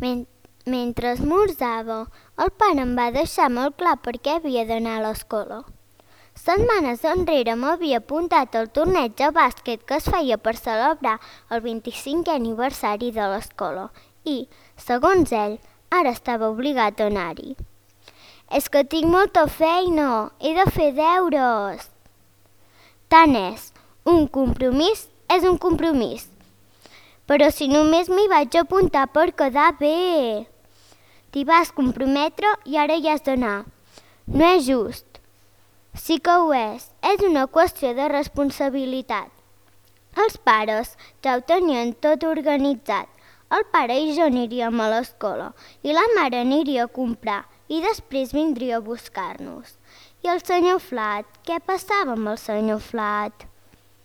Mentre esmorzava, el pare em va deixar molt clar per què havia d'anar a l'escola. Setmanes enrere m'havia apuntat al torneig de bàsquet que es feia per celebrar el 25è aniversari de l'escola i, segons ell, ara estava obligat a anar-hi. És que tinc molta feina, he de fer deures. Tant és, un compromís és un compromís. Però si només m'hi vaig apuntar per quedar bé. T'hi vas comprometre i ara hi has d'anar. No és just. Sí que ho és una qüestió de responsabilitat. Els pares ja ho tenien tot organitzat. El pare i jo aniríem a l'escola i la mare aniria a comprar i després vindria a buscar-nos. I el senyor Flat? Què passava amb el senyor Flat?